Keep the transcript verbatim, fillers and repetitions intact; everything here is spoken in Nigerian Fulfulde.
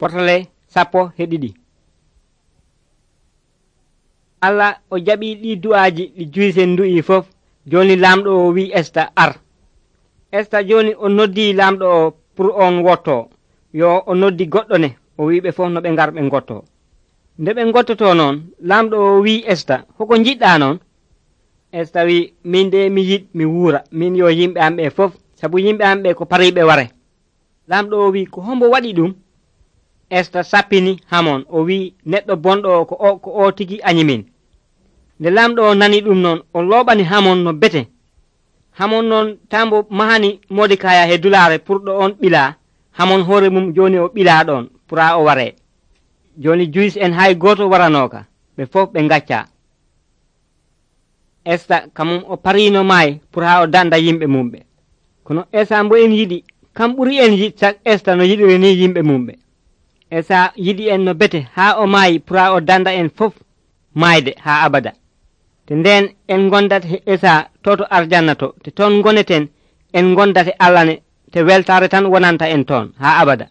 Fotole sappo he ɗiɗi. Allah o jaɓi ɗi du'aaji ɗi juyisen ndu'i fof. Joni lamɗo o wi Esta ar. Esta joni o noddi lamɗo o pour on wotto. Yo o noddi goɗɗo ne o wiɓe fof no ɓe ngar ɓe ngotto. Nde ɓe ngottoto noon lamɗo o wi Esta hoko jiɗɗa noon? Esta wi min de mi yiɗ mi wuura min yo yimɓe am ɓe fof, sabu yimɓe am ɓe ko pariɓe ware. Lamɗo o wi ko hombo waɗi ɗum? Esta sappini Hamon o wi neɗɗo bonɗo ko o ko o tigi anyimin. Nde lamɗo o nani ɗum noon o looɓani Hamon no bete. Hamon noon tambo mahani Modekaya he dulare pour ɗo on ɓila. Hamon hoore mum joni o ɓila ɗon pura o ware. Joni Juyis en hay goto waranoka ɓe fof ɓe gacca. Esta kamum o parino maayi pour ha o danda yimɓe mumɓe. Kono Esa mbo en yiɗi kam ɓuri en yiɗ sak Esta no yiɗiri ni yimɓe mumɓe. Esa yiɗi en no bete ha o maayi pour ha o danda en fof maayde ha abada. Te nden en gondat he Esa toto arjanna to te ton goneten en gondate Allah ne te weltare tan wonanta en ton ha abada.